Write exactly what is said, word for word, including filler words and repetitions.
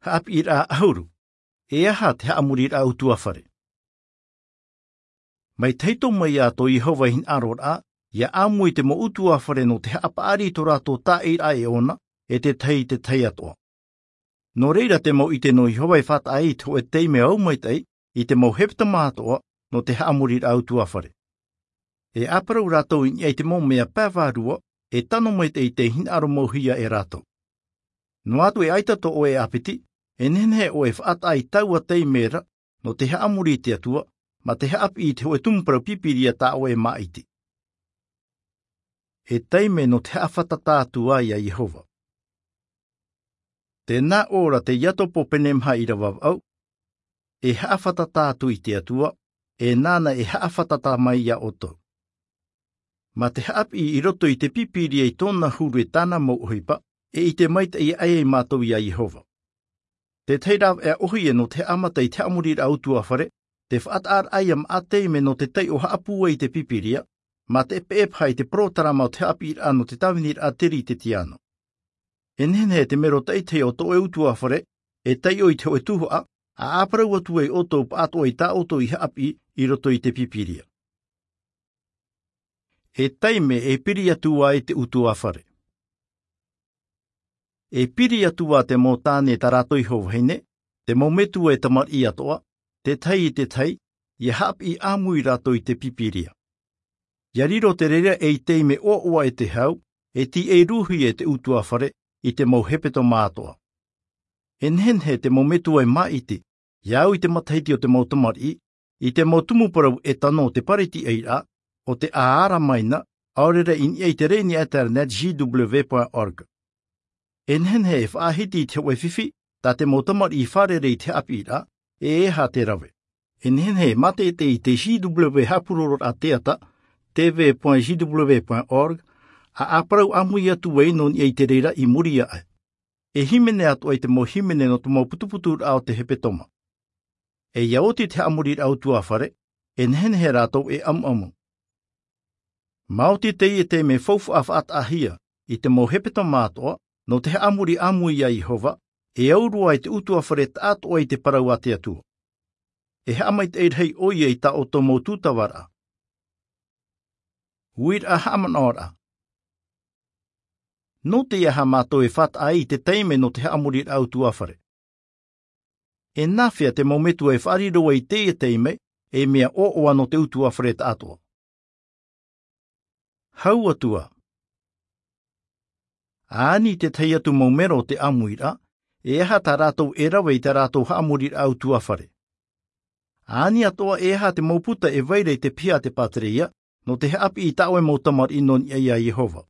Haʻapiʻiraʻa ʻahuru. E aha te haʻamoriraʻa ʻutuāfare? Mai te hōʻē mai ā tō Iehova i hinaʻaro ra ia ʻāmui i te mau ʻutuāfare nō te haʻapaʻari i tō rātou tāʻiraʻa e ʻōna, e te tahi i te tahi atoʻa. Nō reira te mau ʻite nō Iehova e faʻataʻa i te hōʻē taime ʻau maitaʻi i te mau hepetoma atoʻa nō te haʻamoriraʻa ʻutuāfare. E ʻāparau rātou i niʻa i te mau mea pae vārua e tano maitaʻi i te hinaʻaro mauhia e rātou. Noa atu e ʻaita tō ʻoe ʻāpiti, e nehenehe ʻoe e faʻataʻa i taua taime ra nō te haʻamori i te Atua, mā te haʻapiʻi i te hōʻē tumu parau pīpīria tā ʻoe e māʻiti. E taime nō te haʻafātata atu ai iā Iehova. Tēnā ʻō ra te Iakobo pene maha ʻīrava vaʻu, e haʻafātata atu i te Atua, e nāna e haʻafātata mai iā ʻoutou. Mā te haʻapiʻi i roto i te pīpīria i tōna huru e tāna mau ʻohipa, e ʻite maitaʻi aʻe ai mātou iā Iehova. Te tahi rāveʻa ʻōhie nō te haʻamata i te haʻamoriraʻa ʻutuāfare, te faʻataʻaraʻa ia maʻa taime nō te taiʻo haʻapūai i te pīpīria, mā te ʻepeʻepaha i te porotarama o te haʻapiʻiraʻa nō te tāviniraʻa tere i te tiano. E nehenehe te mero taʻitahi o tō ʻoe ʻutuāfare e taiʻo i te hōʻē tuhaʻa, ʻa ʻāparau atu ai ʻoutou pāʻatoʻa i tā ʻoutou i haʻapiʻi i roto i te pīpīria. E taime e piri atu ai te ʻutuāfare. E piri atu ā te mau tāne tā rātou iho vahine, te mau metua e tamariʻi atoʻa, te tahi i te tahi, ia haʻapiʻi ʻāmui rātou i te pīpīria. Ia riro te reira ei taime ʻoaʻoa e te hau, e tīʻai rūhia e te ʻutuāfare i te mau hepetoma atoʻa. E nehenehe te mau metua e māʻiti, ia au i te matahiti o te mau tamariʻi, i te mau tumu parau e tano o te pareti ʻaira, o te ʻāʻara maina, ʻaore rā i niʻa i te rēni internet J W point org. E nehenehe e faʻahiti i te hōʻē fifi, tā te mau tamariʻi fārerei i te haʻapiʻiraʻa, e e aha te rave. E nehenehe e mātaʻitaʻi i te J W haʻapurororaʻa teata, T V point J W point org, ʻa ʻāparau ʻāmui atu ai nō niʻa i te reira i muri aʻe. E hīmene atoʻa i te mau hīmene nō te mau putuputuraʻa o te hepetoma. E ia oti te haʻamoriraʻa ʻutuāfare, e nehenehe rātou e ʻamuʻamu. Maoti teie taime faufaʻa faʻataʻahia i te mau hepetoma atoʻa, nō te haʻamori ʻāmui iā Iehova, e au roa ai te ʻutuāfare taʻatoʻa i te parau a te Atua. E haʻamaitaʻi rahi ʻoia i tā ʻoutou mau tūtavaraʻa. Uiraʻa haʻamanaʻoraʻa. Nō te aha mātou e faʻataʻa ai i te taime nō te haʻamoriraʻa ʻutuāfare? E nāfea te mau metua e faʻariro ai i teie taime ei mea ʻoaʻoa nō te ʻutuāfare taʻatoʻa? Hau atu ā. Ani te tahi atu mau mero o te ʻāmuiraʻa, e aha tā rātou e rave i tā rātou haʻamoriraʻa ʻutuāfare? Ani atoʻa e aha te mau puta e vai ra i te piha a te pātereia, nō te haʻapiʻi i tā ʻoe mau tamariʻi nō niʻa iā Iehova?